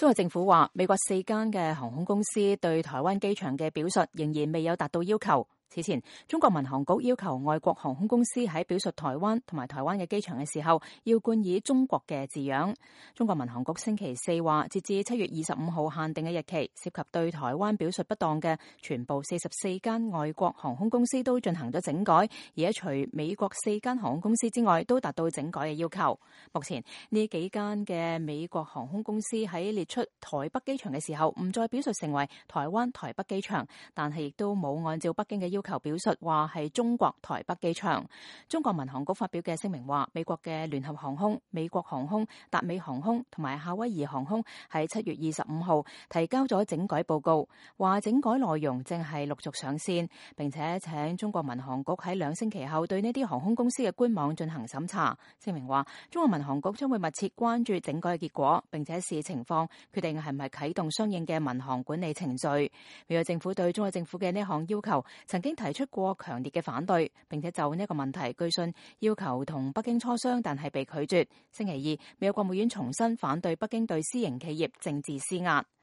中國政府話，美國4間嘅航空公司對台灣機場嘅表述仍然未有達到要求。此前，中國民航局要求外國航空公司喺表述台灣同埋台灣嘅機場嘅時候，要冠以中國嘅字樣。中國民航局星期四話，截至7月25號限定嘅日期，涉及對台灣表述不當嘅全部44間外國航空公司都進行咗整改，而除美國4間航空公司之外，都達到整改嘅要求。目前呢幾間嘅美國航空公司喺列出台北機場嘅時候，唔再表述成為台灣台北機場，但係亦都冇按照北京嘅要求表述話係中國台北機場。中國民航局發表嘅聲明話，美國嘅聯合航空、美國航空、達美航空同埋夏威夷航空喺7月25號提交咗整改報告，話整改內容正係陸續上線，並且請中國民航局喺2星期後對呢啲航空公司嘅官網進行審查。聲明話，中國民航局將會密切關注整改嘅結果，並且視情況決定係唔係啟動相應嘅民航管理程序。美國政府對中國政府嘅呢項要求曾經提出過強烈嘅反對，並且就呢個問題據信要求同北京磋商，但係被拒絕。星期二，美國國務院重申反對北京對私營企業政治施壓。